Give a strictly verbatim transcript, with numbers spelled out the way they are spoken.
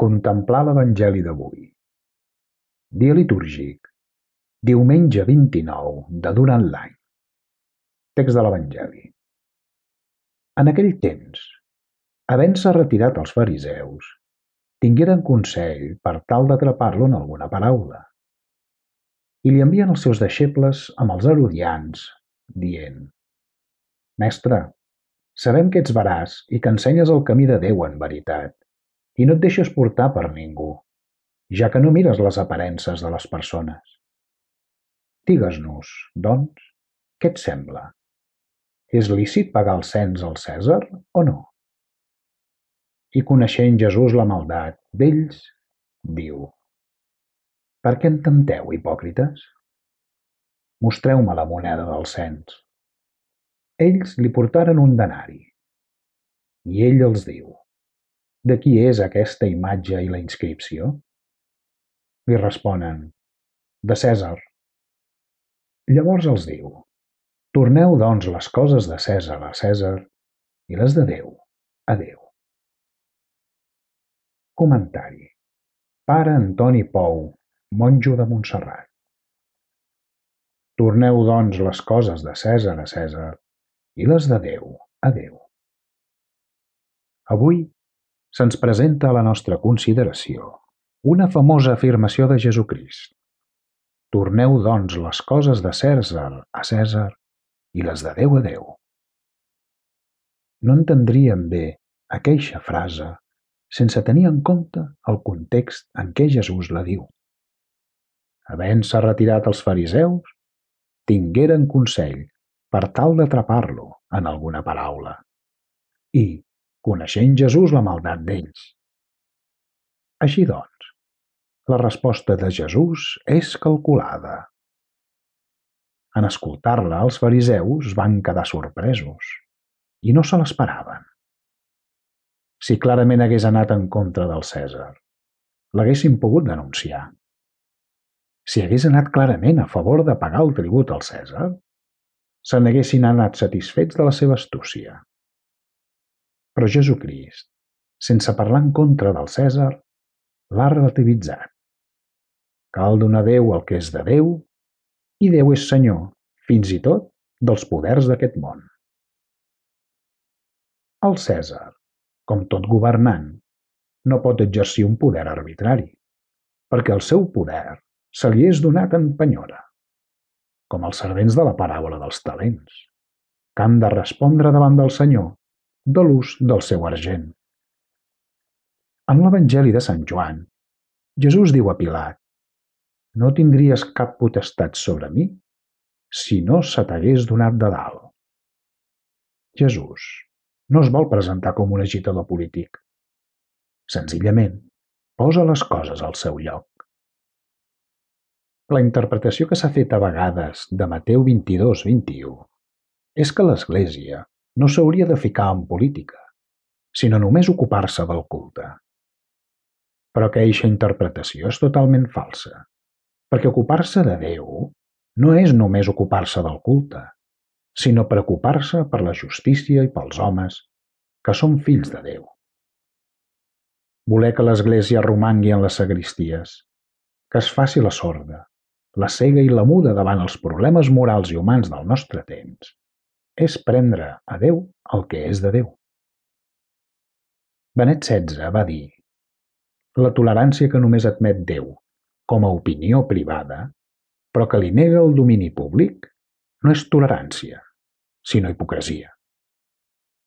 Contemplar l'Evangeli d'avui. Dia litúrgic. Diumenge vint-i-nou de durant l'any. Text de l'Evangeli. En aquell temps, havent-se retirat els fariseus, tingueren consell per tal d'atrapar-lo en alguna paraula. I li envien els seus deixebles amb els herodians, dient: Mestre, sabem que ets veraç i que ensenyes el camí de Déu en veritat, i no et deixes portar per ningú, ja que no mires les aparences de les persones. Digues-nos, doncs, què et sembla? És lícit pagar el cens al Cèsar o no? I coneixent Jesús la maldat d'ells, diu: Per què em tempteu, hipòcrites? Mostreu-me la moneda del cens. Ells li portaren un denari. I ell els diu: De qui és aquesta imatge i la inscripció? Li responen: De Cèsar. Llavors els diu: Torneu, doncs, les coses de Cèsar a Cèsar i les de Déu a Déu. Comentari. Pare Antoni Pou, monjo de Montserrat. Torneu, doncs, les coses de Cèsar a Cèsar i les de Déu a Déu. Avui se'ns presenta a la nostra consideració una famosa afirmació de Jesucrist. Torneu, doncs, les coses de Cèsar a Cèsar i les de Déu a Déu. No entendríem bé aqueixa frase sense tenir en compte el context en què Jesús la diu. Havent-se retirat els fariseus, tingueren consell per tal d'atrapar-lo en alguna paraula. I, coneixent Jesús la maldat d'ells. Així doncs, la resposta de Jesús és calculada. En escoltar-la, els fariseus van quedar sorpresos i no se l'esperaven. Si clarament hagués anat en contra del Cèsar, l'haguessin pogut denunciar. Si hagués anat clarament a favor de pagar el tribut al Cèsar, se n'haguessin anat satisfets de la seva astúcia. Però Jesucrist, sense parlar en contra del Cèsar, l'ha relativitzat. Cal donar a Déu el que és de Déu, i Déu és Senyor, fins i tot, dels poders d'aquest món. El Cèsar, com tot governant, no pot exercir un poder arbitrari, perquè el seu poder se li és donat en penyora, com els servents de la paràbola dels talents, que han de respondre davant del Senyor de l'ús del seu argent. En l'Evangeli de Sant Joan, Jesús diu a Pilat: No tindries cap potestat sobre mi si no se t'hagués donat de dalt. Jesús no es vol presentar com un agitador polític. Senzillament, posa les coses al seu lloc. La interpretació que s'ha fet a vegades de Mateu vint-i-dos vint-i-u és que l'Església no s'hauria de ficar en política, sinó només ocupar-se del culte. Però que eixa interpretació és totalment falsa, perquè ocupar-se de Déu no és només ocupar-se del culte, sinó preocupar-se per la justícia i pels homes que són fills de Déu. Voler que l'Església romangui en les sagristies, que es faci la sorda, la cega i la muda davant els problemes morals i humans del nostre temps, és prendre a Déu el que és de Déu. Benet setze va dir: La tolerància que només admet Déu com a opinió privada, però que li nega el domini públic, no és tolerància, sinó hipocresia.